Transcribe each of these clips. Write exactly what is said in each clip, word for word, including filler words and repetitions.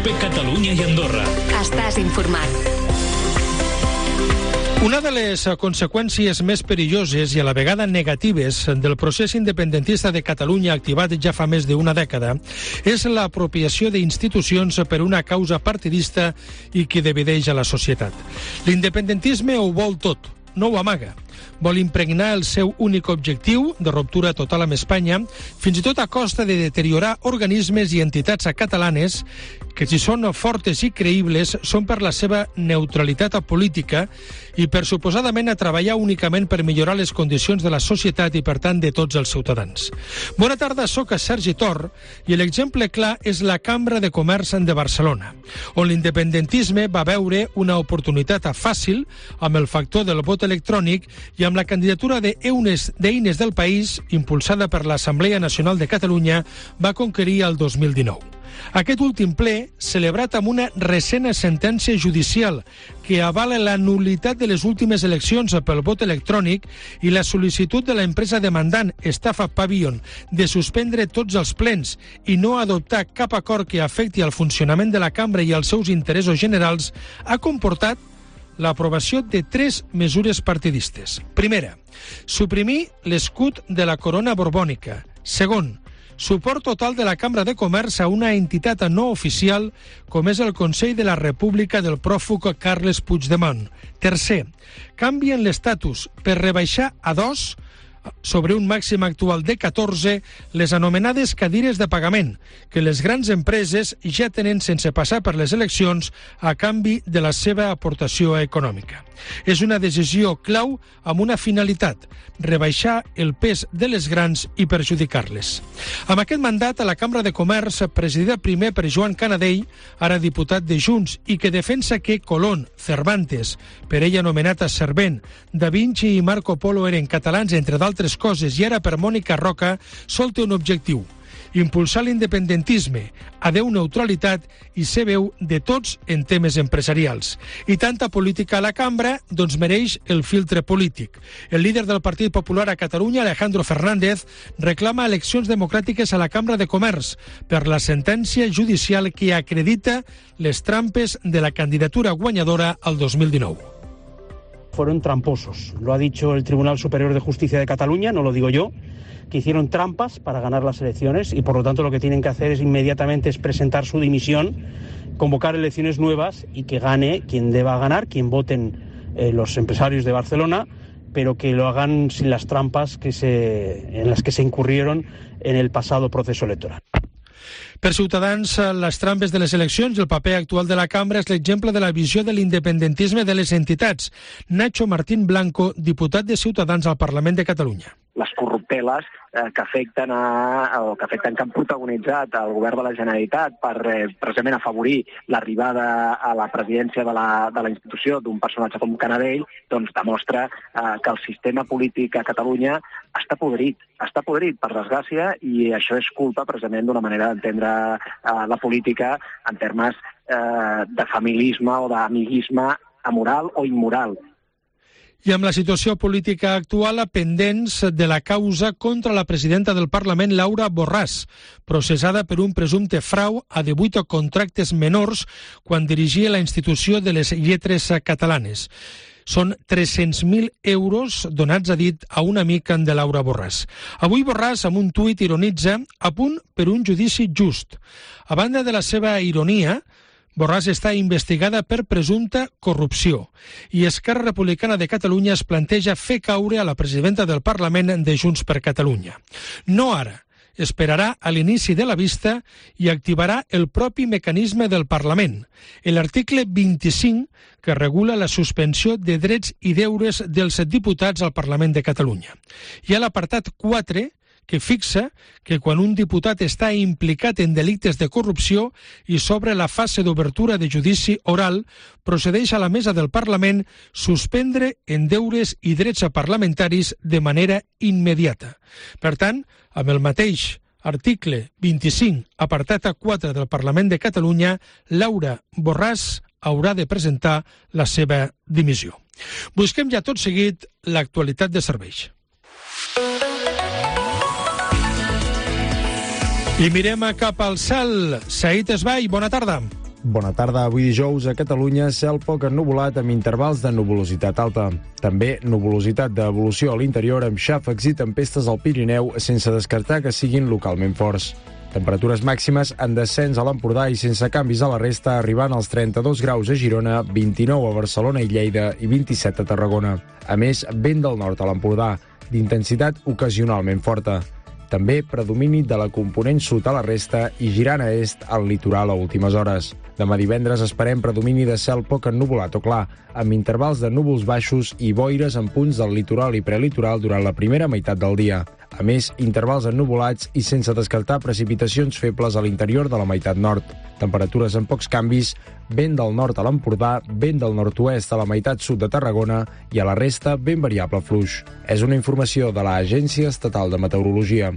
COPE Catalunya i Andorra. Estàs informat. Una de les conseqüències més perilloses i a la vegada negatives del procés independentista de Catalunya activat ja fa més d'una dècada és l'apropiació d'institucions per una causa partidista i que divideix a la societat. L'independentisme ho vol tot, no ho amaga. Vol impregnar el seu únic objectiu de ruptura total amb Espanya, fins i tot a costa de deteriorar organismes i entitats catalanes que, si són fortes i creïbles, són per la seva neutralitat política i per suposadament a treballar únicament per millorar les condicions de la societat i, per tant, de tots els ciutadans. Bona tarda, soc Sergi Tor i l'exemple clar és la Cambra de Comerç de Barcelona, on l'independentisme va veure una oportunitat fàcil amb el factor del vot electrònic i amb la candidatura d'Eines d'Eines del País, impulsada per l'Assemblea Nacional de Catalunya, va conquerir el dos mil dinou. Aquest últim ple, celebrat amb una recent sentència judicial que avala la nul·litat de les últimes eleccions pel vot electrònic i la sol·licitud de l'empresa demandant Estafa Pavilion de suspendre tots els plens i no adoptar cap acord que afecti al funcionament de la cambra i als seus interessos generals, ha comportat l'aprovació de tres mesures partidistes. Primera, suprimir l'escut de la corona borbònica. Segon, suport total de la Cambra de Comerç a una entitat no oficial com és el Consell de la República del pròfug Carles Puigdemont. Tercer, canvien l'estatus per rebaixar a dos sobre un màxim actual de catorze les anomenades cadires de pagament, que les grans empreses ja tenen sense passar per les eleccions a canvi de la seva aportació econòmica. És una decisió clau amb una finalitat, rebaixar el pes de les grans i perjudicar-les. Amb aquest mandat, a la Cambra de Comerç, presidida primer per Joan Canadell, ara diputat de Junts, i que defensa que Colón, Cervantes, per ell anomenat a Servent, Da Vinci i Marco Polo eren catalans, entre d'altres coses, i ara per Mònica Roca, sol té un objectiu: impulsar l'independentisme, adeu neutralitat i ser veu de tots en temes empresarials. I tanta política a la cambra, doncs mereix el filtre polític. El líder del Partit Popular a Catalunya, Alejandro Fernández, reclama eleccions democràtiques a la Cambra de Comerç per la sentència judicial que acredita les trampes de la candidatura guanyadora al dos mil dinou. Fueron tramposos. Lo ha dicho el Tribunal Superior de Justicia de Cataluña, no lo digo yo, que hicieron trampas para ganar las elecciones y por lo tanto lo que tienen que hacer es inmediatamente es presentar su dimisión, convocar elecciones nuevas y que gane quien deba ganar, quien voten eh, los empresarios de Barcelona, pero que lo hagan sin las trampas que se, en las que se incurrieron en el pasado proceso electoral. Per Ciutadans, les trampes de les eleccions i el paper actual de la cambra és l'exemple de la visió de l'independentisme de les entitats. Nacho Martín Blanco, diputat de Ciutadans al Parlament de Catalunya. Les corrupteles eh, que afecten a, o que afecten que han protagonitzat el govern de la Generalitat per eh, precisament afavorir l'arribada a la presidència de la, de la institució d'un personatge com Canadell, doncs demostra eh, que el sistema polític a Catalunya està podrit, està podrit, per desgràcia, i això és culpa precisament d'una manera d'entendre eh, la política en termes eh, de familisme o d'amiguisme amoral o immoral. I amb la situació política actual pendents de la causa contra la presidenta del Parlament, Laura Borràs, processada per un presumpte frau a divuit contractes menors quan dirigia la institució de les lletres catalanes. Són tres-cents mil euros donats a dit a un amic de Laura Borràs. Avui Borràs, amb un tuit, ironitza a punt per un judici just. A banda de la seva ironia, Borràs està investigada per presumpta corrupció i Esquerra Republicana de Catalunya es planteja fer caure a la presidenta del Parlament de Junts per Catalunya. No ara, esperarà a l'inici de la vista i activarà el propi mecanisme del Parlament, l'article vint-i-cinc, que regula la suspensió de drets i deures dels diputats al Parlament de Catalunya. I a l'apartat quatre, que fixa que quan un diputat està implicat en delictes de corrupció i s'obre la fase d'obertura de judici oral, procedeix a la mesa del Parlament suspendre en deures i drets parlamentaris de manera immediata. Per tant, amb el mateix article vint-i-cinc, apartat quatre del Parlament de Catalunya, Laura Borràs haurà de presentar la seva dimissió. Busquem ja tot seguit l'actualitat de serveis. I mirem cap al cel. Saïd Esbai, bona tarda. Bona tarda. Avui dijous a Catalunya cel poc ennuvolat amb intervals de nuvolositat alta. També nuvolositat d'evolució a l'interior amb xàfecs i tempestes al Pirineu sense descartar que siguin localment forts. Temperatures màximes en descens a l'Empordà i sense canvis a la resta, arribant als trenta-dos graus a Girona, vint-i-nou a Barcelona i Lleida i vint-i-set a Tarragona. A més, vent del nord a l'Empordà, d'intensitat ocasionalment forta. També predomini de la component sud a la resta i girant a est al litoral a últimes hores. Demà divendres esperem predomini de cel poc ennuvolat o clar, amb intervals de núvols baixos i boires en punts del litoral i prelitoral durant la primera meitat del dia. A més, intervals ennuvolats i sense descartar precipitacions febles a l'interior de la meitat nord. Temperatures amb pocs canvis, vent del nord a l'Empordà, vent del nord-oest a la meitat sud de Tarragona i a la resta vent variable fluix. És una informació de l'Agència Estatal de Meteorologia.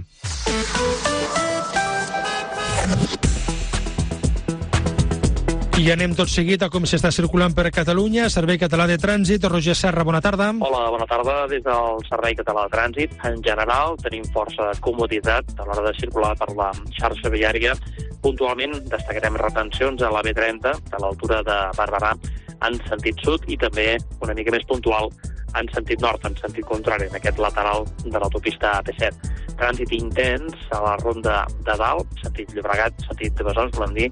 I anem tot seguit a com s'està circulant per Catalunya. Servei Català de Trànsit. Roger Serra, bona tarda. Hola, bona tarda. Des del Servei Català de Trànsit, en general, tenim força comoditat a l'hora de circular per la xarxa viària. Puntualment destacarem retencions a la B trenta, a l'altura de Barberà, en sentit sud, i també una mica més puntual en sentit nord, en sentit contrari, en aquest lateral de l'autopista A P set. Trànsit intens a la ronda de dalt, sentit Llobregat, sentit de Besòs, volem dir,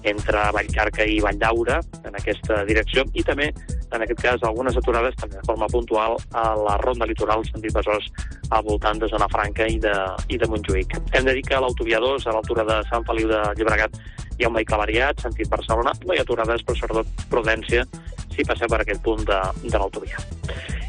entre Vallcarca i Valldaura, en aquesta direcció, i també, en aquest cas, algunes aturades també de forma puntual a la ronda litoral, sentit Besòs, al voltant de Zona Franca i de, i de Montjuïc. Hem de dir que a l'autovia dos, a l'altura de Sant Feliu de Llobregat, hi ha un vehicle variat, sentit Barcelona, no hi ha aturades, però sobretot prudència si passeu per aquest punt de, de l'autovia.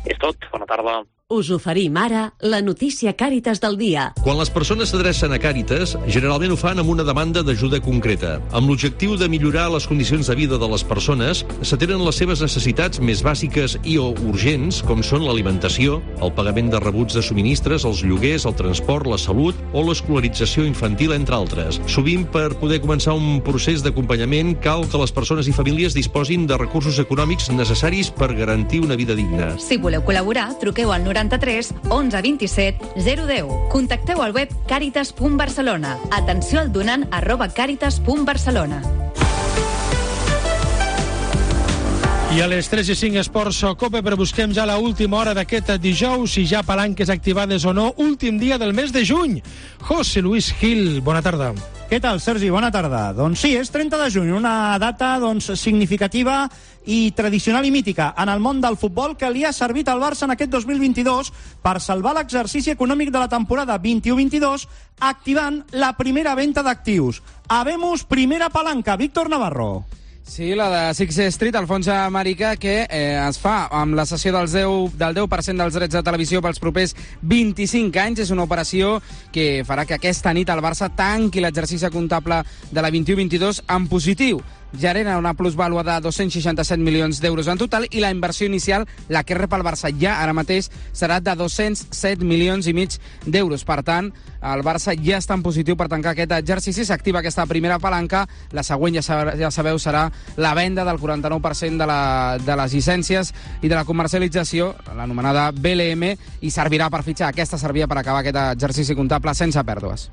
És tot, bona tarda. Us oferim ara la notícia Càritas del dia. Quan les persones s'adrecen a Càritas, generalment ho fan amb una demanda d'ajuda concreta. Amb l'objectiu de millorar les condicions de vida de les persones, s'atenen les seves necessitats més bàsiques i o urgents, com són l'alimentació, el pagament de rebuts de subministres, els lloguers, el transport, la salut o l'escolarització infantil, entre altres. Sovint, per poder començar un procés d'acompanyament, cal que les persones i famílies disposin de recursos econòmics necessaris per garantir una vida digna. Si voleu col·laborar, truqueu al noranta-tres onze vint-i-set zero deu. Contacteu al web càritas punt barcelona. Atenció al donant arroba càritas punt barcelona. I a les tres i cinc Esports Cope, però busquem ja la última hora d'aquest dijous, si ja palanques activades o no, últim dia del mes de juny. José Luis Gil, bona tarda. Què tal, Sergi? Bona tarda. Doncs sí, és trenta de juny, una data doncs, significativa i tradicional i mítica en el món del futbol que li ha servit al Barça en aquest dos mil vint-i-dos per salvar l'exercici econòmic de la temporada vint-i-u vint-i-dos, activant la primera venda d'actius. Habemos primera palanca. Víctor Navarro. Sí, la de Sixth Street, el fons americà, que eh, es fa amb la cessió del deu, del deu per cent dels drets de televisió pels propers vint-i-cinc anys. És una operació que farà que aquesta nit el Barça tanqui l'exercici comptable de la vint-i-u vint-i-dos en positiu. Genera una plusvàlua de dos-cents seixanta-set milions d'euros en total i la inversió inicial, la que rep el Barça ja ara mateix, serà de dos-cents set milions i mig d'euros. Per tant, el Barça ja està en positiu per tancar aquest exercici. S'activa aquesta primera palanca. La següent, ja, ja sabeu, serà la venda del quaranta-nou per cent de, la, de les llicències i de la comercialització, l'anomenada B L M, i servirà per fitxar. Aquesta servia per acabar aquest exercici comptable sense pèrdues.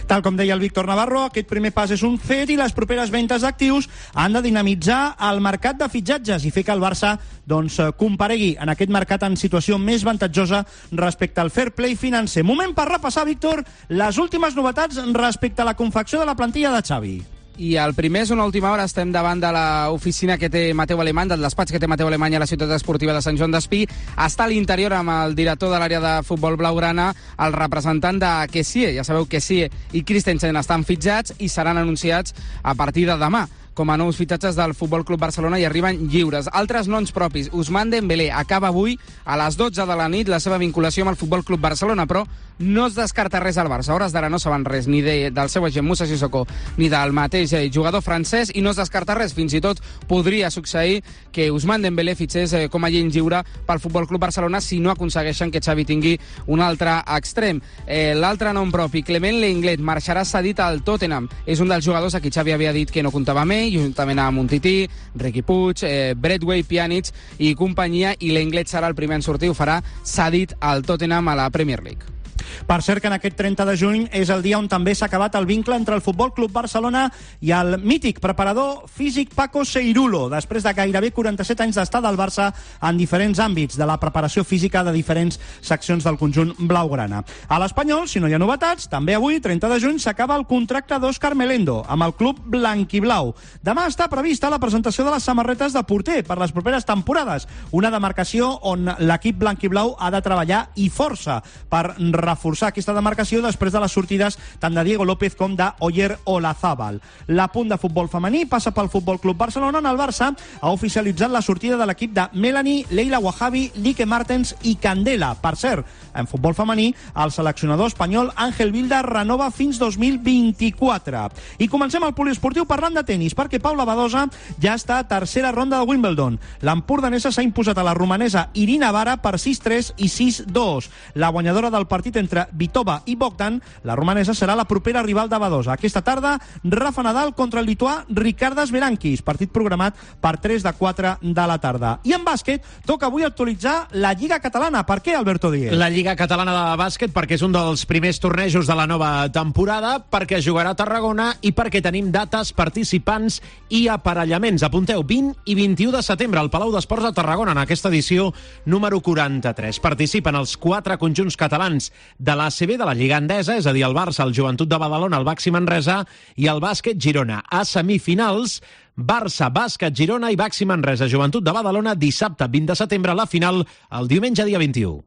Tal com deia el Víctor Navarro, aquest primer pas és un fet i les properes ventes d'actius han de dinamitzar el mercat de fitxatges i fer que el Barça doncs, comparegui en aquest mercat en situació més avantatjosa respecte al fair play financer. Moment per repassar, Víctor, les últimes novetats respecte a la confecció de la plantilla de Xavi. I el primer és una última hora. Estem davant de l'oficina que té Mateu Alemany, del despatx que té Mateu Alemany a la ciutat esportiva de Sant Joan d'Espí. Està a l'interior amb el director de l'àrea de futbol blaugrana, el representant de Kessie. Ja sabeu, Kessie i Christensen estan fitxats i seran anunciats a partir de demà com a nous fitxatges del Futbol Club Barcelona i arriben lliures. Altres noms propis. Ousmane Dembélé acaba avui a les dotze de la nit la seva vinculació amb el Futbol Club Barcelona, però no es descarta res al Barça. A hores d'ara no saben res ni de, del seu agent Moussa Sissoko ni del mateix jugador francès, i no es descarta res. Fins i tot podria succeir que Ousmane Dembélé fitxés com a agent lliure pel Futbol Club Barcelona si no aconsegueixen que Xavi tingui un altre extrem. Eh, L'altre nom propi, Clement Lenglet, marxarà cedit al Tottenham. És un dels jugadors a qui Xavi havia dit que no comptava amb ell, juntament amb Umtiti, Riqui Puig, eh, Bradway, Pjanic i companyia, i Lenglet serà el primer en sortir. Ho farà cedit al Tottenham a la Premier League. Per cert que en aquest trenta de juny és el dia on també s'ha acabat el vincle entre el Futbol Club Barcelona i el mític preparador físic Paco Seirulo, després de gairebé quaranta-set anys d'estar del Barça en diferents àmbits de la preparació física de diferents seccions del conjunt blaugrana. A l'Espanyol, si no hi ha novetats, també avui, trenta de juny, s'acaba el contracte d'Òscar Melendo amb el club blanquiblau. Demà està prevista la presentació de les samarretes de porter per les properes temporades, una demarcació on l'equip blanquiblau ha de treballar i força per reforçar aquesta demarcació després de les sortides tant de Diego López com de Oyer Olazábal. La punt de futbol femení passa pel Futbol Club Barcelona, on el Barça ha oficialitzat la sortida de l'equip de Melanie, Leila Wahabi, Lique Martens i Candela. Per cert, en futbol femení, el seleccionador espanyol Ángel Vilda renova fins dos mil vint-i-quatre. I comencem el poliesportiu parlant de tenis, perquè Paula Badosa ja està a tercera ronda de Wimbledon. L'empordanesa s'ha imposat a la romanesa Irina Vara per sis tres i sis dos. La guanyadora del partit entre Vitova i Bogdan, la romanesa, serà la propera rival de Badosa. Aquesta tarda, Rafa Nadal contra el lituà Ricardas Berankis, partit programat per tres de quatre de la tarda. I en bàsquet, toca avui actualitzar la Lliga Catalana. Per què, Alberto Díez? La Lliga Catalana de bàsquet perquè és un dels primers tornejos de la nova temporada, perquè es jugarà a Tarragona i perquè tenim dates, participants i aparellaments. Apunteu, vint i vint-i-u de setembre al Palau d'Esports de Tarragona, en aquesta edició número quaranta-tres. Participen els quatre conjunts catalans de l'A C B, de la Lliga Endesa, és a dir, el Barça, el Joventut de Badalona, el Baxi Manresa i el Bàsquet Girona. A semifinals, Barça, Bàsquet Girona i Baxi Manresa, Joventut de Badalona, dissabte vint de setembre, la final, el diumenge dia vint-i-u.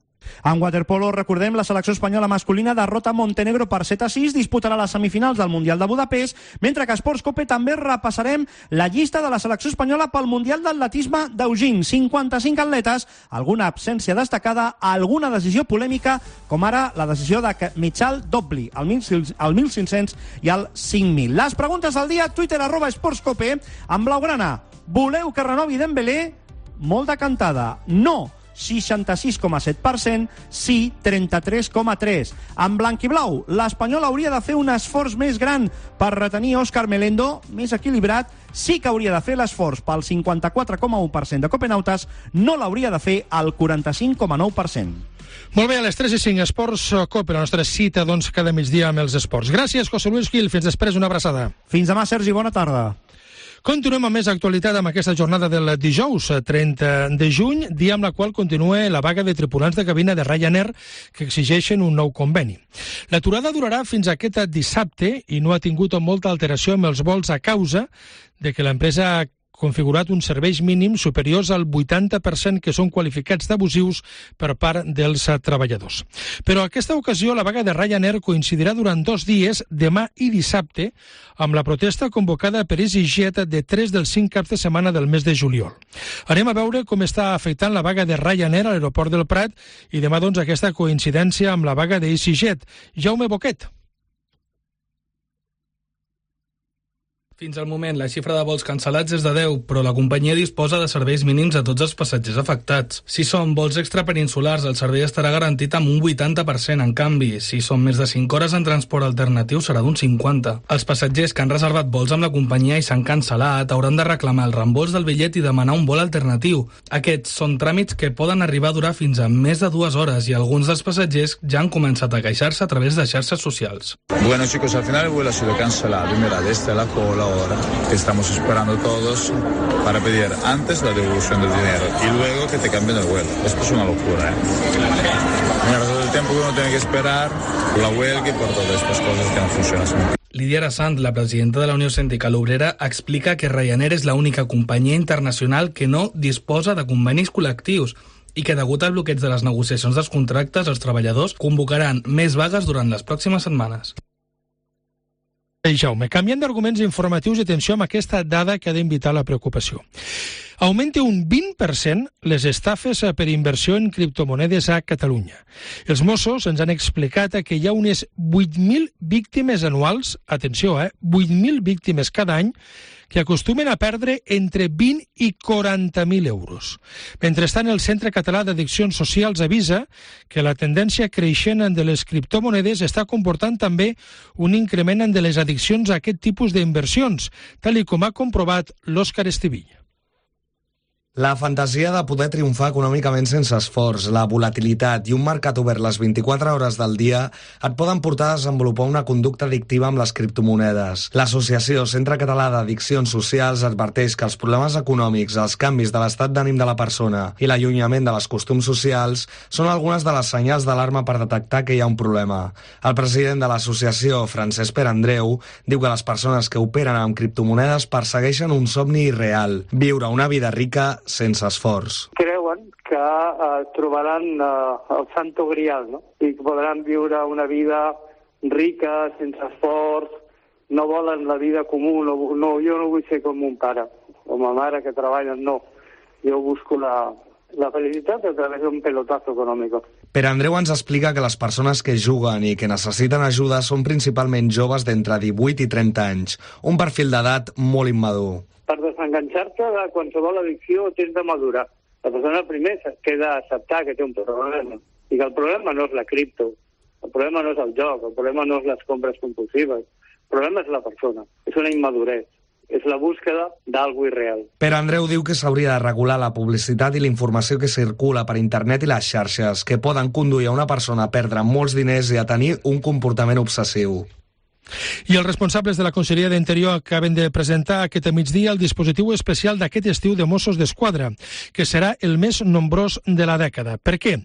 En waterpolo, recordem, la selecció espanyola masculina derrota Montenegro per set a sis, disputarà les semifinals del Mundial de Budapest, mentre que a Esports Cope també repassarem la llista de la selecció espanyola pel Mundial d'Atletisme d'Eugene. cinquanta-cinc atletes, alguna absència destacada, alguna decisió polèmica, com ara la decisió de Michal Dobli, el mil cinc-cents i el cinc mil. Les preguntes del dia, Twitter, arroba Esports Cope, en blaugrana. Voleu que renovi Dembélé? Molt de cantada. No, seixanta-sis coma set per cent, sí, trenta-tres coma tres per cent. En blanquiblau, l'Espanyol hauria de fer un esforç més gran per retenir Òscar Melendo, més equilibrat, sí que hauria de fer l'esforç pel cinquanta-quatre coma u per cent de copenautes, no l'hauria de fer el quaranta-cinc coma nou per cent. Molt bé, a les tres i cinc, Esports Cope, la nostra cita, doncs, cada migdia amb els esports. Gràcies, José Luis Gil. Fins després, una abraçada. Fins demà, Sergi, bona tarda. Continuem amb més actualitat amb aquesta jornada del dijous, trenta de juny, dia amb la qual continua la vaga de tripulants de cabina de Ryanair que exigeixen un nou conveni. L'aturada durarà fins aquest dissabte i no ha tingut molta alteració amb els vols a causa de que l'empresa ha configurat uns serveis mínims superiors al vuitanta per cent que són qualificats d'abusius per part dels treballadors. Però aquesta ocasió la vaga de Ryanair coincidirà durant dos dies, demà i dissabte, amb la protesta convocada per EasyJet de tres dels cinc caps de setmana del mes de juliol. Anem a veure com està afectant la vaga de Ryanair a l'aeroport del Prat i demà, doncs, aquesta coincidència amb la vaga de EasyJet. Jaume Boquet. Fins al moment, la xifra de vols cancel·lats és de deu, però la companyia disposa de serveis mínims a tots els passatgers afectats. Si són vols extrapeninsulars, el servei estarà garantit amb un vuitanta per cent. En canvi, si són més de cinc hores en transport alternatiu, serà d'un cinquanta per cent. Els passatgers que han reservat vols amb la companyia i s'han cancel·lat hauran de reclamar el reembols del bitllet i demanar un vol alternatiu. Aquests són tràmits que poden arribar a durar fins a més de dues hores i alguns dels passatgers ja han començat a queixar-se a través de xarxes socials. Bueno, chicos, al final el vuelo ha sido cancelado y mira, desde la cola ahora que estamos esperando todos para pedir antes la devolución del dinero y luego que te cambien el vuelo. Esto es una locura, ¿eh? Mira, todo el tiempo que uno tiene que esperar por la huelga y por todas estas cosas que no funcionan. Lídia Arassant, la presidenta de la Unió Sindical Obrera, explica que Ryanair és l'única companyia internacional que no disposa de convenis col·lectius i que, degut al bloqueig de les negociacions dels contractes, els treballadors convocaran més vagues durant les pròximes setmanes. Jaume, canviant d'arguments informatius i atenció amb aquesta dada que ha d'invitar la preocupació. Augmenta un vint per cent les estafes per inversió en criptomonedes a Catalunya. Els Mossos ens han explicat que hi ha unes vuit mil víctimes anuals, atenció, eh, vuit mil víctimes cada any, que acostumen a perdre entre vint i quaranta mil euros. Mentrestant, el Centre Català d'Addiccions Socials avisa que la tendència creixent de les criptomonedes està comportant també un increment de les addiccions a aquest tipus d'inversions, tal i com ha comprovat l'Òscar Estivilla. La fantasia de poder triomfar econòmicament sense esforç, la volatilitat i un mercat obert les vint-i-quatre hores del dia et poden portar a desenvolupar una conducta addictiva amb les criptomonedes. L'Associació Centre Català d'Addiccions Socials adverteix que els problemes econòmics, els canvis de l'estat d'ànim de la persona i l'allunyament de les costums socials són algunes de les senyals d'alarma per detectar que hi ha un problema. El president de l'associació, Francesc Perandreu, diu que les persones que operen amb criptomonedes persegueixen un somni irreal, viure una vida rica sense esforç. Creuen que eh, trobaran eh, el santo grial, no? I que podran viure una vida rica, sense esforç, no volen la vida comú, no, no, jo no vull ser com mon pare o ma mare que treballen, no. Jo busco la, la felicitat a través d'un pelotazo econòmic. Per Andreu ens explica que les persones que juguen i que necessiten ajuda són principalment joves d'entre divuit i trenta anys, un perfil d'edat molt immadur. Per desenganxar-te de qualsevol addicció tens de madurar. La persona primer que ha d'acceptar que té un problema i que el problema no és la cripto, el problema no és el joc, el problema no és les compres compulsives, el problema és la persona, és una immadurez, és la búsqueda d'algo irreal. Però Andreu diu que s'hauria de regular la publicitat i la informació que circula per internet i les xarxes, que poden conduir a una persona a perdre molts diners i a tenir un comportament obsessiu. I els responsables de la Conselleria d'Interior acaben de presentar aquest migdia el dispositiu especial d'aquest estiu de Mossos d'Esquadra, que serà el més nombrós de la dècada. Per què?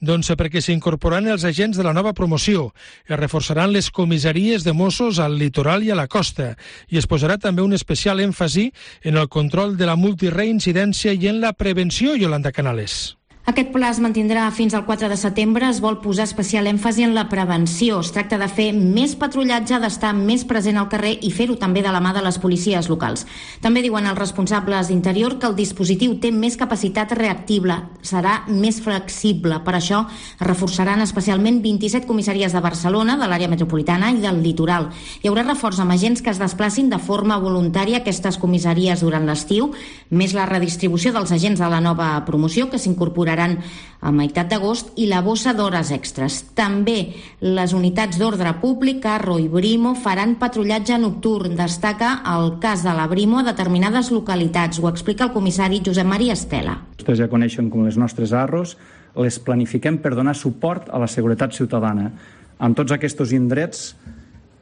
Doncs perquè s'incorporaran els agents de la nova promoció, es reforçaran les comissaries de Mossos al litoral i a la costa, i es posarà també un especial èmfasi en el control de la multireincidència i en la prevenció, Yolanda Canales. Aquest pla es mantindrà fins al quatre de setembre. Es vol posar especial èmfasi en la prevenció. Es tracta de fer més patrullatge, d'estar més present al carrer i fer-ho també de la mà de les policies locals. També diuen els responsables d'Interior que el dispositiu té més capacitat reactiva, serà més flexible. Per això es reforçaran especialment vint-i-set comissaries de Barcelona, de l'àrea metropolitana i del litoral. Hi haurà reforç amb agents que es desplacin de forma voluntària a aquestes comissaries durant l'estiu, més la redistribució dels agents de la nova promoció que s'incorporaran a meitat d'agost i la bossa d'hores extres. També les unitats d'ordre públic, Carro i Brimo, faran patrullatge nocturn. Destaca el cas de la Brimo a determinades localitats. Ho explica el comissari Josep Maria Estela. Vostès ja coneixen com les nostres arros, les planifiquem per donar suport a la seguretat ciutadana. En tots aquests indrets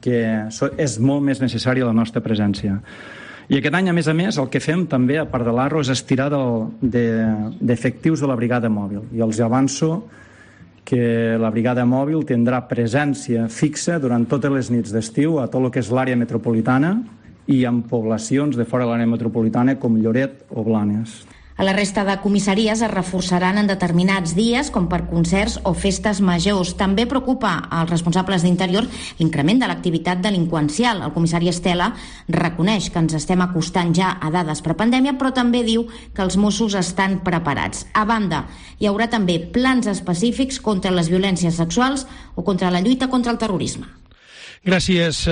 que és molt més necessària la nostra presència. I aquest any, a més a més, el que fem també, a part de l'Arro, és estirar d'efectius de la brigada mòbil. I els avanço que la brigada mòbil tindrà presència fixa durant totes les nits d'estiu a tot el que és l'àrea metropolitana i en poblacions de fora de l'àrea metropolitana com Lloret o Blanes. A la resta de comissaries es reforçaran en determinats dies, com per concerts o festes majors. També preocupa als responsables d'Interior l'increment de l'activitat delinqüencial. El comissari Estela reconeix que ens estem acostant ja a dades prepandèmia, però també diu que els Mossos estan preparats. A banda, hi haurà també plans específics contra les violències sexuals o contra la lluita contra el terrorisme. Gràcies,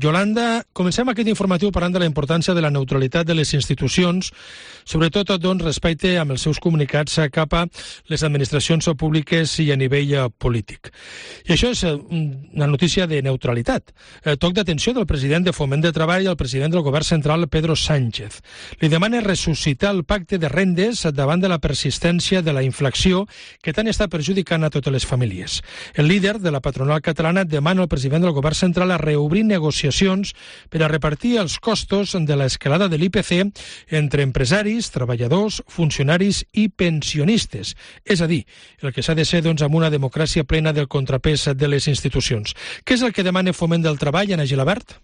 Yolanda. Comencem aquest informatiu parlant de la importància de la neutralitat de les institucions, sobretot doncs, respecte amb els seus comunicats cap a les administracions públiques i a nivell polític. I això és una notícia de neutralitat. Toc d'atenció del president de Foment de Treball i el president del govern central, Pedro Sánchez. Li demana ressuscitar el pacte de rendes davant de la persistència de la inflació que tant està perjudicant a totes les famílies. El líder de la patronal catalana demana al president del govern central a reobrir negociacions per a repartir els costos de l'escalada de l'I P C entre empresaris, treballadors, funcionaris i pensionistes. És a dir, el que s'ha de ser doncs, amb una democràcia plena del contrapès de les institucions. Què és el que demana Foment del Treball, Anna Gilabert?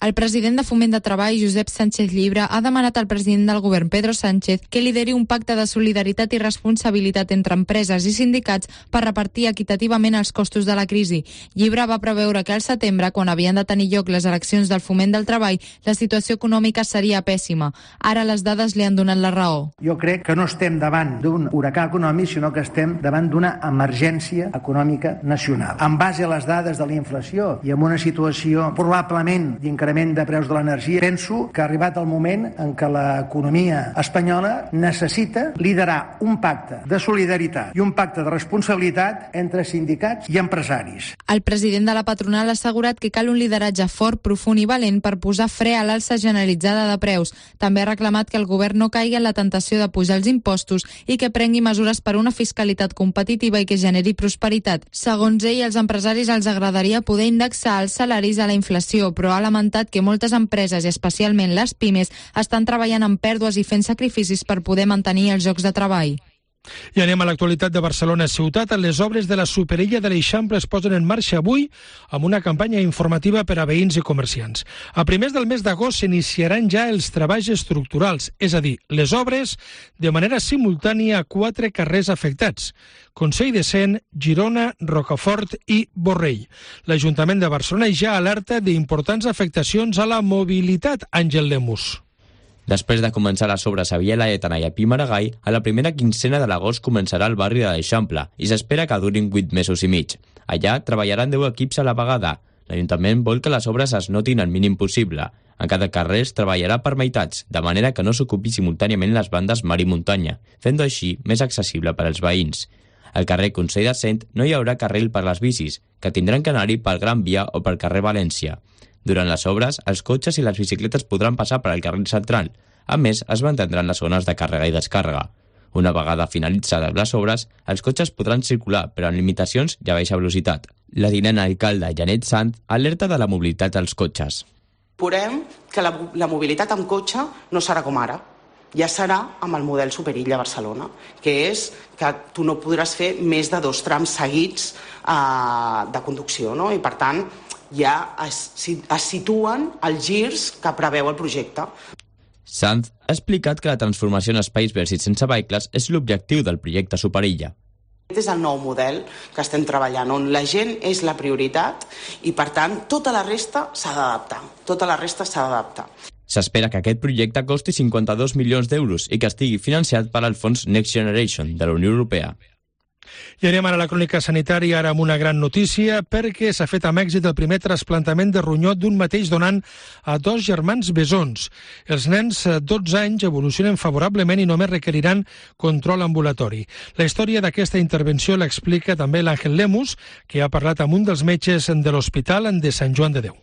El president de Foment de Treball, Josep Sánchez Llibre, ha demanat al president del govern, Pedro Sánchez, que lideri un pacte de solidaritat i responsabilitat entre empreses i sindicats per repartir equitativament els costos de la crisi. Llibre va preveure que al setembre, quan havien de tenir lloc les eleccions del Foment del Treball, la situació econòmica seria pèssima. Ara les dades li han donat la raó. Jo crec que no estem davant d'un huracà econòmic, sinó que estem davant d'una emergència econòmica nacional. En base a les dades de la inflació i amb una situació probablement d'increment l'increment de preus de l'energia. Penso que ha arribat el moment en què l'economia espanyola necessita liderar un pacte de solidaritat i un pacte de responsabilitat entre sindicats i empresaris. El president de la patronal ha assegurat que cal un lideratge fort, profund i valent per posar fre a l'alça generalitzada de preus. També ha reclamat que el govern no caigui en la tentació de pujar els impostos i que prengui mesures per una fiscalitat competitiva i que generi prosperitat. Segons ell, als empresaris els agradaria poder indexar els salaris a la inflació, però ha lamentat que moltes empreses, i especialment les pimes, estan treballant amb pèrdues i fent sacrificis per poder mantenir els llocs de treball. I anem a l'actualitat de Barcelona ciutat. Les obres de la superilla de l'Eixample es posen en marxa avui amb una campanya informativa per a veïns i comerciants. A primers del mes d'agost s'iniciaran ja els treballs estructurals, és a dir, les obres de manera simultània a quatre carrers afectats: Consell de Cent, Girona, Rocafort i Borrell. L'Ajuntament de Barcelona ja alerta d'importants afectacions a la mobilitat. Àngel Lemus. Després de començar les obres a Via Laietana i a Pi Maragall, a la primera quincena de l'agost començarà el barri de l'Eixample i s'espera que durin vuit mesos i mig. Allà treballaran deu equips a la vegada. L'Ajuntament vol que les obres es notin el mínim possible. En cada carrer es treballarà per meitats, de manera que no s'ocupi simultàniament les bandes mar i muntanya, fent-ho així més accessible per als veïns. Al carrer Consell de Cent no hi haurà carril per les bicis, que tindran que anar-hi pel Gran Via o pel carrer València. Durant les obres, els cotxes i les bicicletes podran passar per al carril central. A més, es mantindran les zones de càrrega i descàrrega. Una vegada finalitzades les obres, els cotxes podran circular, però amb limitacions i a baixa velocitat. La tinent alcalde Janet Sant alerta de la mobilitat dels cotxes. Veurem que la, la mobilitat amb cotxe no serà com ara. Ja serà amb el model superilla a Barcelona, que és que tu no podràs fer més de dos trams seguits eh, de conducció, no? I per tant ja es, es situen els girs que preveu el projecte. Sanz ha explicat que la transformació en espais verds i sense vehicles és l'objectiu del projecte Superilla. Aquest és el nou model que estem treballant, on la gent és la prioritat i, per tant, tota la resta s'ha d'adaptar. Tota la resta s'ha d'adaptar. S'espera que aquest projecte costi cinquanta-dos milions d'euros i que estigui financiat per al fons Next Generation de la Unió Europea. I anem ara a la crònica sanitària, ara amb una gran notícia, perquè s'ha fet amb èxit el primer trasplantament de ronyó d'un mateix donant a dos germans besons. Els nens, dotze anys, evolucionen favorablement i només requeriran control ambulatori. La història d'aquesta intervenció l'explica també l'Àngel Lemus, que ha parlat amb un dels metges de l'Hospital de Sant Joan de Déu.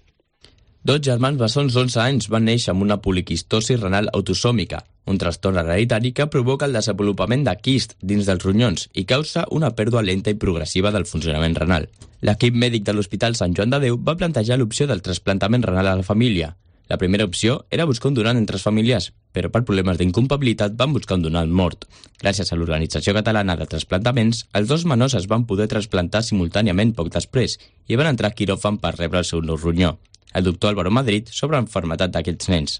Dos germans bessons d'onze anys van néixer amb una poliquistosi renal autosòmica, un trastorn hereditari que provoca el desenvolupament de quist dins dels ronyons i causa una pèrdua lenta i progressiva del funcionament renal. L'equip mèdic de l'Hospital Sant Joan de Déu va plantejar l'opció del trasplantament renal a la família. La primera opció era buscar un donant entre els familiars, però per problemes d'incompatibilitat van buscar un donant mort. Gràcies a l'Organització Catalana de Trasplantaments, els dos menors es van poder trasplantar simultàniament poc després i van entrar a quiròfan per rebre el seu nou ronyó. El doctor Álvaro Madrid sobre l'enfermedad d'aquests nens.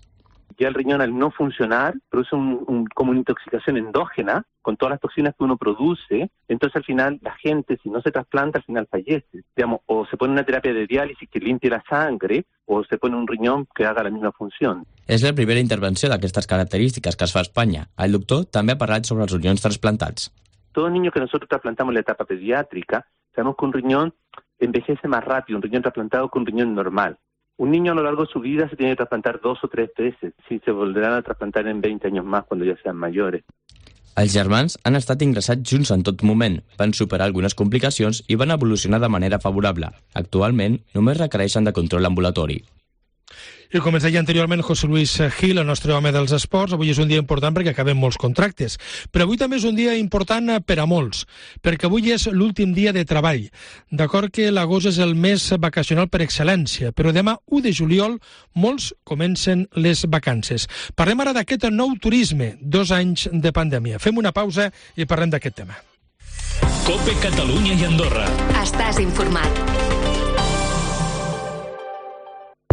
Ya el riñón al no funcionar produce un, un, como una intoxicación endógena con todas las toxinas que uno produce, entonces al final la gente, si no se trasplanta, al final fallece. Digamos, o se pone una terapia de diálisis que limpie la sangre, o se pone un riñón que haga la misma función. És la primera intervenció d'aquestes característiques que es fa a Espanya. El doctor també ha parlat sobre els riñons trasplantats. Todo niño que nosotros trasplantamos en la etapa pediátrica, sabemos que un riñón envejece más rápido, un riñón trasplantado que un riñón normal. Un niño a lo largo de su vida se tiene que trasplantar dos o tres veces, si se volverán a trasplantar en veinte años más cuando ya sean mayores. Els germans han estat ingressats junts en tot moment, van superar algunes complicacions i van evolucionar de manera favorable. Actualment, només requereixen de control ambulatori. I com ens deia anteriorment José Luis Gil, el nostre home dels esports, avui és un dia important perquè acaben molts contractes. Però avui també és un dia important per a molts, perquè avui és l'últim dia de treball. D'acord que l'agost és el mes vacacional per excel·lència, però demà, u de juliol, molts comencen les vacances. Parlem ara d'aquest nou turisme, dos anys de pandèmia. Fem una pausa i parlem d'aquest tema. COPE Catalunya i Andorra. Estàs informat.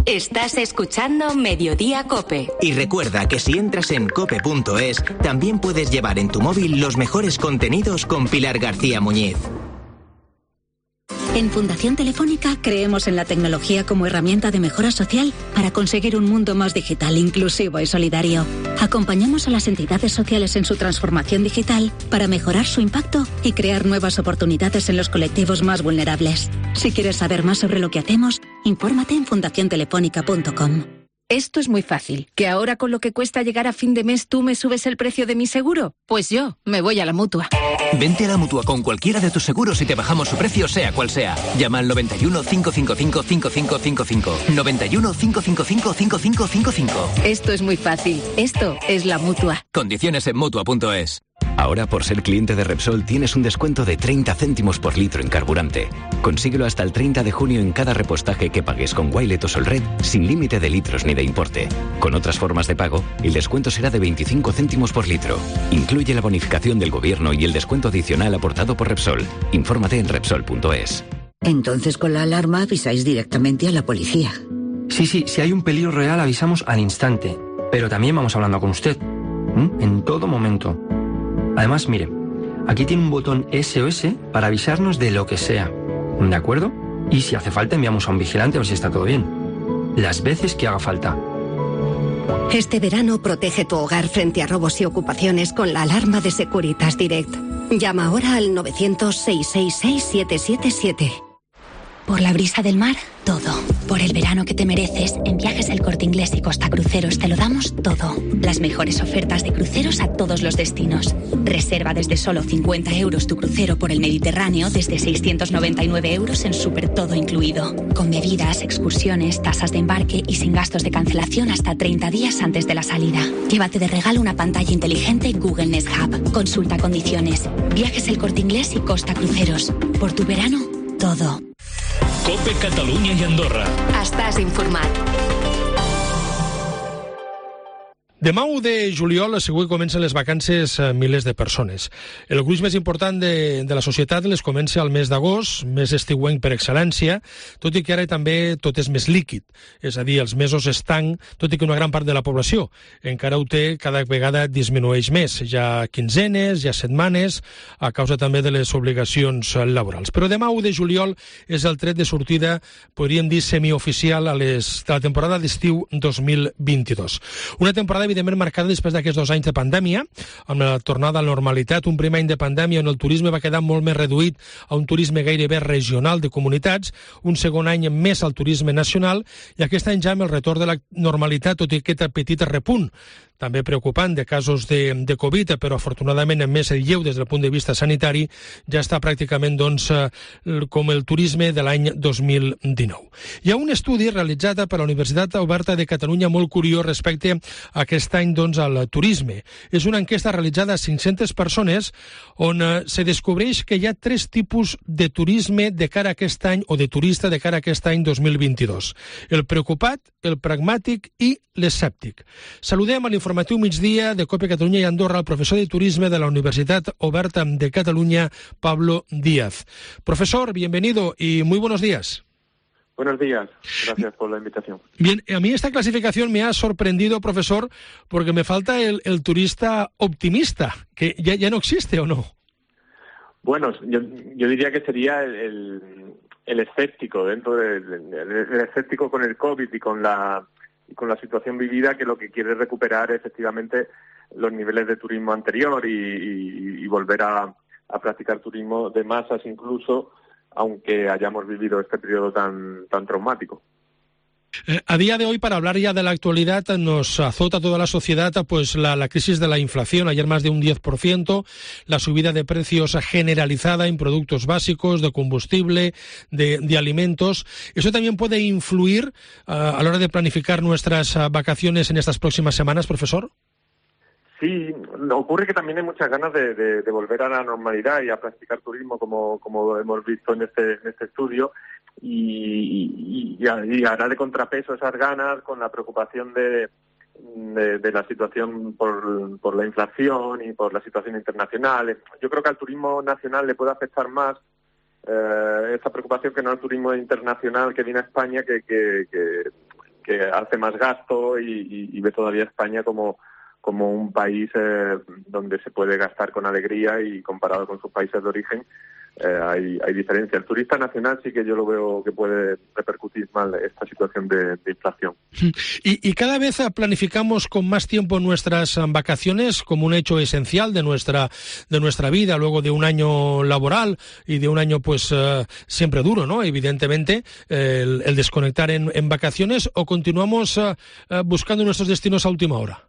Estás escuchando Mediodía COPE. Y recuerda que si entras en cope punto es, también puedes llevar en tu móvil los mejores contenidos con Pilar García Muñiz. En Fundación Telefónica creemos en la tecnología como herramienta de mejora social para conseguir un mundo más digital, inclusivo y solidario. Acompañamos a las entidades sociales en su transformación digital para mejorar su impacto y crear nuevas oportunidades en los colectivos más vulnerables. Si quieres saber más sobre lo que hacemos, Infórmate en fundación telefónica punto com. Esto es muy fácil. ¿Que ahora con lo que cuesta llegar a fin de mes tú me subes el precio de mi seguro? Pues yo me voy a la Mutua. Vente a la Mutua con cualquiera de tus seguros y te bajamos su precio sea cual sea. Llama al noventa y uno, cinco cinco cinco, cinco cinco cinco cinco. noventa y uno, cinco cinco cinco, cinco cinco cinco cinco. Esto es muy fácil. Esto es la Mutua. Condiciones en Mutua punto es. Ahora, por ser cliente de Repsol, tienes un descuento de treinta céntimos por litro en carburante. Consíguelo hasta el treinta de junio en cada repostaje que pagues con Wilet o Solred, sin límite de litros ni de importe. Con otras formas de pago, el descuento será de veinticinco céntimos por litro. Incluye la bonificación del gobierno y el descuento adicional aportado por Repsol. Infórmate en Repsol punto es. Entonces, con la alarma avisáis directamente a la policía. Sí, sí, si hay un peligro real avisamos al instante. Pero también vamos hablando con usted. ¿Mm? En todo momento. Además, mire, aquí tiene un botón S O S para avisarnos de lo que sea. ¿De acuerdo? Y si hace falta enviamos a un vigilante a ver si está todo bien. Las veces que haga falta. Este verano protege tu hogar frente a robos y ocupaciones con la alarma de Securitas Direct. Llama ahora al novecientos, seiscientos sesenta y seis, siete siete siete. Por la brisa del mar, todo. Por el verano que te mereces, en Viajes El Corte Inglés y Costa Cruceros te lo damos todo. Las mejores ofertas de cruceros a todos los destinos. Reserva desde solo cincuenta euros tu crucero por el Mediterráneo, desde seiscientos noventa y nueve euros en súper todo incluido. Con bebidas, excursiones, tasas de embarque y sin gastos de cancelación hasta treinta días antes de la salida. Llévate de regalo una pantalla inteligente Google Nest Hub. Consulta condiciones. Viajes El Corte Inglés y Costa Cruceros. Por tu verano, todo. Cope Catalunya i Andorra. Estàs informat. Demà u de juliol segur que comencen les vacances a milers de persones. El gruix més important de, de la societat les comença al mes d'agost, mes estiuenc per excel·lència, tot i que ara també tot és més líquid, és a dir, els mesos estanc, tot i que una gran part de la població encara ho té, cada vegada disminueix més. Hi ha quinzenes, hi ha setmanes, a causa també de les obligacions laborals. Però demà u de juliol és el tret de sortida, podríem dir, semioficial a les, de la temporada d'estiu dos mil vint-i-dos. Una temporada evidentment marcada després d'aquests dos anys de pandèmia, amb la tornada a la normalitat, un primer any de pandèmia on el turisme va quedar molt més reduït a un turisme gairebé regional de comunitats, un segon any més al turisme nacional, i aquest any ja amb el retorn de la normalitat, tot i aquest petit repunt també preocupant de casos de, de Covid, però afortunadament en més el lleu des del punt de vista sanitari, ja està pràcticament doncs, com el turisme de l'any dos mil dinou. Hi ha un estudi realitzat per la Universitat Oberta de Catalunya molt curiós respecte a aquest any doncs, al turisme. És una enquesta realitzada a cinc-centes persones on eh, se descobreix que hi ha tres tipus de turisme de cara a aquest any o de turista de cara a aquest any dos mil vint-i-dos. El preocupat, el pragmàtic i l'escèptic. Saludem a l'informatiu migdia de Cope Catalunya i Andorra el professor de turisme de la Universitat Oberta de Catalunya, Pablo Díaz. Profesor, bienvenido y muy buenos días. Buenos días, gracias por la invitación. Bien, a mí esta clasificación me ha sorprendido, profesor, porque me falta el, el turista optimista, que ya, ya no existe, ¿o no? Bueno, yo, yo diría que sería el, el, el escéptico, dentro del de, el escéptico con el COVID y con la y con la situación vivida, que lo que quiere recuperar efectivamente los niveles de turismo anterior y, y, y volver a, a practicar turismo de masas incluso, aunque hayamos vivido este periodo tan, tan traumático. Eh, a día de hoy, para hablar ya de la actualidad, nos azota a toda la sociedad pues la, la crisis de la inflación, ayer más de un diez por ciento, la subida de precios generalizada en productos básicos, de combustible, de, de alimentos. ¿Eso también puede influir uh, a la hora de planificar nuestras uh, vacaciones en estas próximas semanas, profesor? Sí, ocurre que también hay muchas ganas de, de, de volver a la normalidad y a practicar turismo, como, como hemos visto en este, en este estudio, y, y, y hará de contrapeso esas ganas con la preocupación de, de, de la situación por, por la inflación y por la situación internacional. Yo creo que al turismo nacional le puede afectar más eh, esa preocupación que no al turismo internacional que viene a España, que, que, que, que hace más gasto y, y, y ve todavía a España como como un país eh, donde se puede gastar con alegría, y comparado con sus países de origen eh, hay, hay diferencia. El turista nacional sí que yo lo veo que puede repercutir mal esta situación de, de inflación. Y, y cada vez planificamos con más tiempo nuestras vacaciones como un hecho esencial de nuestra de nuestra vida, luego de un año laboral y de un año pues uh, siempre duro, ¿no? Evidentemente, eh, el, el desconectar en, en vacaciones, ¿o continuamos uh, uh, buscando nuestros destinos a última hora?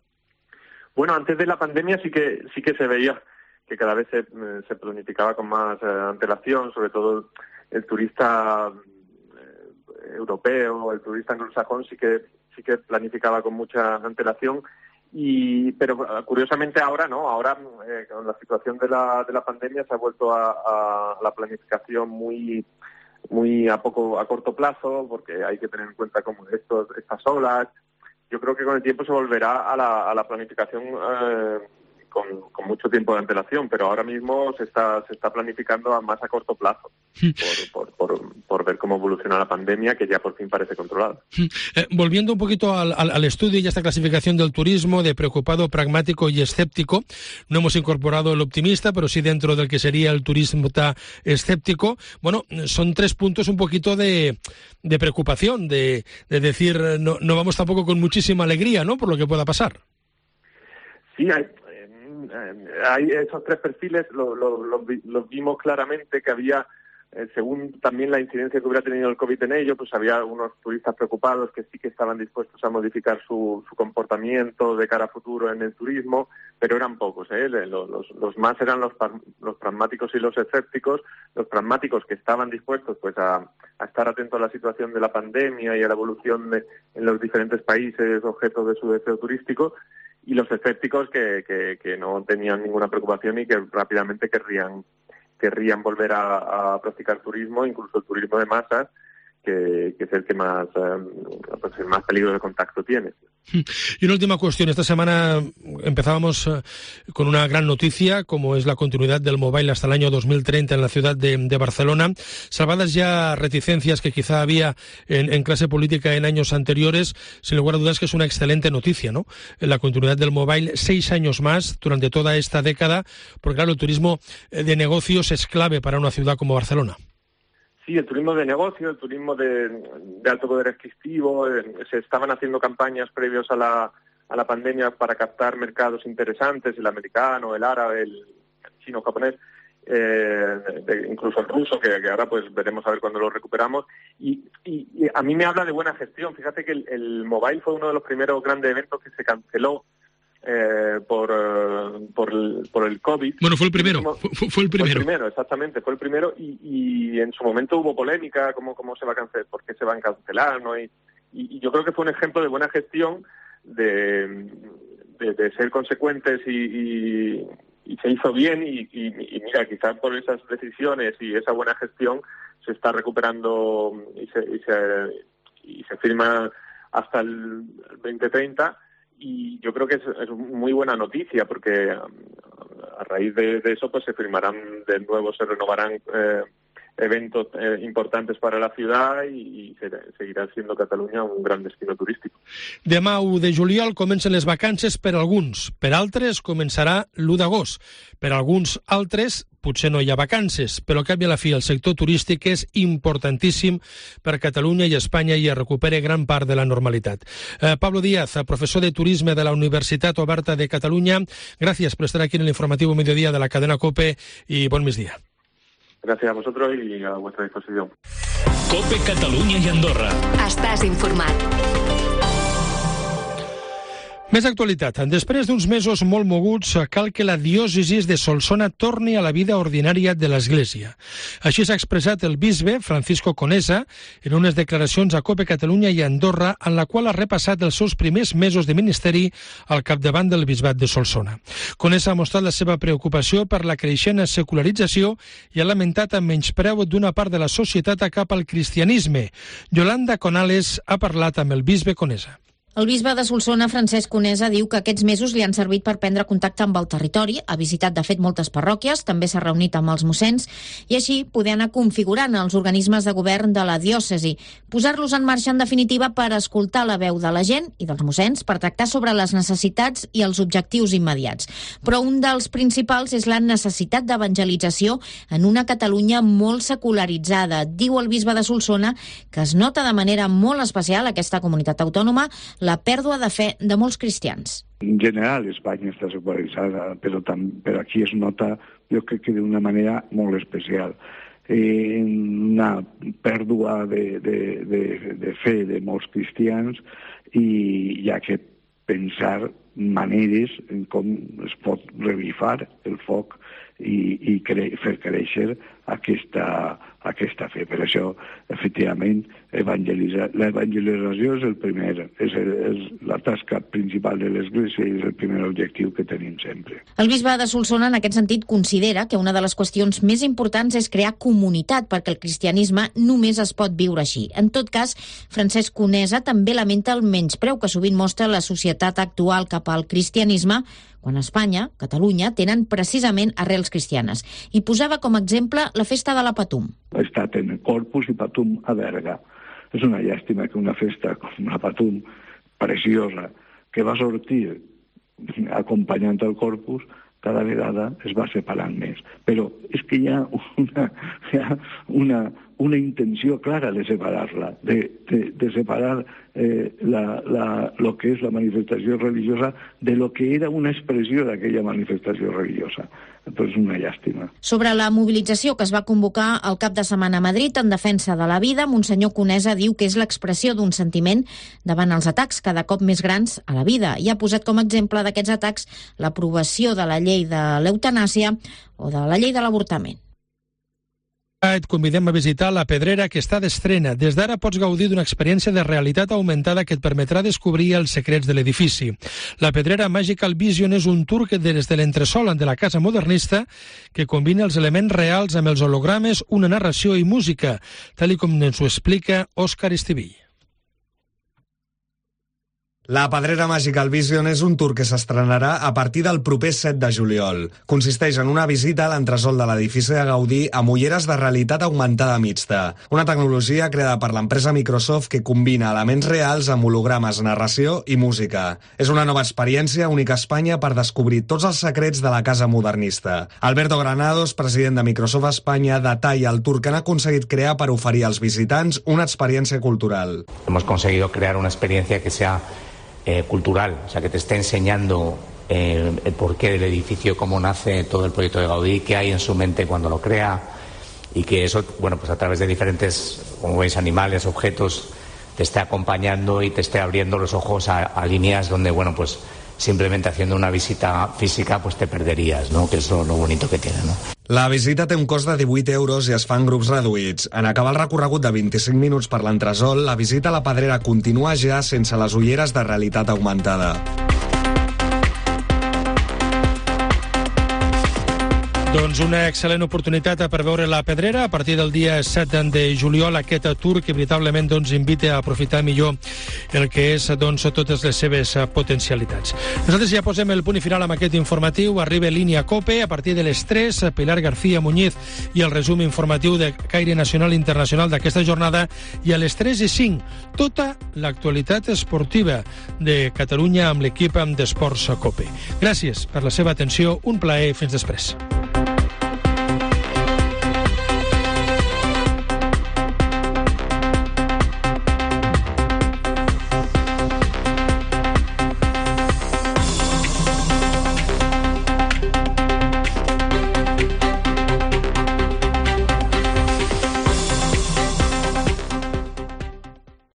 Bueno, antes de la pandemia sí que sí que se veía que cada vez se, se planificaba con más eh, antelación, sobre todo el turista eh, europeo, el turista anglosajón sí que sí que planificaba con mucha antelación, y pero curiosamente ahora no, ahora eh, con la situación de la de la pandemia se ha vuelto a, a la planificación muy muy a poco a corto plazo, porque hay que tener en cuenta como estos estas olas. Yo creo que con el tiempo se volverá a la, a la planificación eh, con, con mucho tiempo de antelación, pero ahora mismo se está se está planificando a más a corto plazo por, por, por, por ver cómo evoluciona la pandemia, que ya por fin parece controlada. Eh, volviendo un poquito al, al, al estudio y a esta clasificación del turismo de preocupado, pragmático y escéptico, no hemos incorporado el optimista, pero sí dentro del que sería el turismo escéptico. Bueno, son tres puntos un poquito de, de preocupación, de, de decir, no, no vamos tampoco con muchísima alegría, ¿no?, por lo que pueda pasar. Sí, hay, hay esos tres perfiles, los lo, lo, lo vimos claramente que había, eh, según también la incidencia que hubiera tenido el COVID en ello, pues había unos turistas preocupados que sí que estaban dispuestos a modificar su, su comportamiento de cara a futuro en el turismo, pero eran pocos, ¿eh? Los, los, los más eran los, los pragmáticos y los escépticos. Los pragmáticos que estaban dispuestos pues a, a estar atentos a la situación de la pandemia y a la evolución de, en los diferentes países objeto de su deseo turístico, y los escépticos que, que, que no tenían ninguna preocupación y que rápidamente querrían querrían volver a, a practicar turismo, incluso el turismo de masas, que, que es el que más eh, pues el más peligro de contacto tiene. Y una última cuestión. Esta semana empezábamos eh, con una gran noticia, como es la continuidad del mobile hasta el año dos mil treinta en la ciudad de, de Barcelona. Salvadas ya reticencias que quizá había en, en clase política en años anteriores, sin lugar a dudas que es una excelente noticia, ¿no? La continuidad del mobile, seis años más durante toda esta década, porque claro, el turismo de negocios es clave para una ciudad como Barcelona. Sí, el turismo de negocio, el turismo de, de alto poder adquisitivo, eh, se estaban haciendo campañas previos a la, a la pandemia para captar mercados interesantes, el americano, el árabe, el chino, japonés, eh, de, incluso el ruso, que, que ahora pues veremos a ver cuándo lo recuperamos. Y, y, y a mí me habla de buena gestión. Fíjate que el, el mobile fue uno de los primeros grandes eventos que se canceló Eh, por, uh, por, el, por el COVID. Bueno, fue el primero, fue, fue el primero. Fue el primero, exactamente, fue el primero, y, y en su momento hubo polémica, cómo, cómo se va a cancelar, por qué se van a cancelar, ¿no? Y, y, y yo creo que fue un ejemplo de buena gestión, de, de, de ser consecuentes y, y, y se hizo bien, y, y, y mira, quizás por esas decisiones y esa buena gestión se está recuperando y se, y se, y se firma hasta el veinte treinta. Y yo creo que es, es muy buena noticia, porque a raíz de, de eso pues se firmarán de nuevo, se renovarán eh, eventos eh, importantes para la ciudad, i, i seguirà siendo Catalunya un gran destino turístic. Demà, u de juliol, comencen les vacances per alguns. Per altres, començarà l'u d'agost. Per alguns altres, potser no hi ha vacances, però al cap i a la fi el sector turístic és importantíssim per Catalunya i Espanya i es recupere gran part de la normalitat. Eh, Pablo Díaz, profesor de Turisme de la Universitat Oberta de Catalunya, gràcies per estar aquí en el informativo Mediodía de la cadena COPE y buen migdia. Gracias a vosotros y a vuestra disposición. COPE Catalunya i Andorra. Estàs informat. Més actualitat. Després d'uns mesos molt moguts, cal que la diòcesi de Solsona torni a la vida ordinària de l'Església. Així s'ha expressat el bisbe Francisco Conesa en unes declaracions a COPE Catalunya i Andorra, en la qual ha repassat els seus primers mesos de ministeri al capdavant del bisbat de Solsona. Conesa ha mostrat la seva preocupació per la creixent secularització i ha lamentat el menyspreu d'una part de la societat cap al cristianisme. Yolanda Conales ha parlat amb el bisbe Conesa. El bisbe de Solsona, Francesc Conesa, diu que aquests mesos li han servit per prendre contacte amb el territori. Ha visitat, de fet, moltes parròquies, també s'ha reunit amb els mossens i així poder anar configurant els organismes de govern de la diòcesi, posar-los en marxa, en definitiva, per escoltar la veu de la gent i dels mossens, per tractar sobre les necessitats i els objectius immediats. Però un dels principals és la necessitat d'evangelització en una Catalunya molt secularitzada. Diu el bisbe de Solsona que es nota de manera molt especial aquesta comunitat autònoma la pèrdua de fe de molts cristians. En general, Espanya està secularitzada, però, tam, però aquí es nota, jo crec que d'una manera molt especial. Eh, una pèrdua de, de, de, de fe de molts cristians i hi ha que pensar maneres en com es pot revifar el foc i, i cre fer créixer aquesta, aquesta fe. Per això, efectivament, l'evangelització és el primer, és, el, és la tasca principal de l'Església i és el primer objectiu que tenim sempre. El bisbe de Solsona, en aquest sentit, considera que una de les qüestions més importants és crear comunitat, perquè el cristianisme només es pot viure així. En tot cas, Francesc Conesa també lamenta el menyspreu que sovint mostra la societat actual cap al cristianisme, quan Espanya, Catalunya, tenen precisament arrels cristianes. I posava com a exemple la festa de la Patum. He estat en Corpus i Patum a Berga. És una llàstima que una festa com la Patum, preciosa, que va sortir acompanyant el Corpus, cada vegada es va separant més. Però és que hi ha una, hi ha una, una intenció clara de separar-la, de, de, de separar eh, la, la, lo que és la manifestació religiosa de lo que era una expressió d'aquella manifestació religiosa. Doncs una llàstima. Sobre la mobilització que es va convocar el cap de setmana a Madrid en defensa de la vida, Monsenyor Conesa diu que és l'expressió d'un sentiment davant els atacs cada cop més grans a la vida i ha posat com a exemple d'aquests atacs l'aprovació de la llei de l'eutanàsia o de la llei de l'avortament. Et convidem a visitar la Pedrera, que està d'estrena. Des d'ara pots gaudir d'una experiència de realitat augmentada que et permetrà descobrir els secrets de l'edifici. La Pedrera Magical Vision és un tour que des de l'entresòl de la casa modernista que combina els elements reals amb els hologrames, una narració i música, tal i com ens ho explica Òscar Estivill. La Pedrera Magical Vision és un tour que s'estrenarà a partir del proper set de juliol. Consisteix en una visita a l'entresòl de l'edifici de Gaudí amb ulleres de realitat augmentada mixta, una tecnologia creada per l'empresa Microsoft que combina elements reals amb hologrames, narració i música. És una nova experiència única a Espanya per descobrir tots els secrets de la casa modernista. Alberto Granados, president de Microsoft Espanya, detalla el tour que han aconseguit crear per oferir als visitants una experiència cultural. Hemos conseguido crear una experiencia que sea Eh, cultural, o sea, que te esté enseñando eh, el porqué del edificio, cómo nace todo el proyecto de Gaudí, qué hay en su mente cuando lo crea, y que eso, bueno, pues a través de diferentes, como veis, animales, objetos, te esté acompañando y te esté abriendo los ojos a, a líneas donde, bueno, pues simplemente haciendo una visita física pues te perderías, ¿no? Que es lo, lo bonito que tiene, ¿no? La visita té un cost de divuit euros i es fa en grups reduïts. En acabar el recorregut de vint-i-cinc minuts per l'entresòl, la visita a la Pedrera continua ja sense les ulleres de realitat augmentada. Doncs una excel·lent oportunitat per veure la Pedrera a partir del dia set de juliol, aquest tour que veritablement doncs, invita a aprofitar millor el que és doncs, totes les seves potencialitats. Nosaltres ja posem el punt final amb aquest informatiu. Arriba Línia Cope a partir de les tres, Pilar García Muñiz i el resum informatiu de caire nacional i internacional d'aquesta jornada, i a les tres i cinc tota l'actualitat esportiva de Catalunya amb l'equip d'Esports Cope. Gràcies per la seva atenció, un plaer, fins després.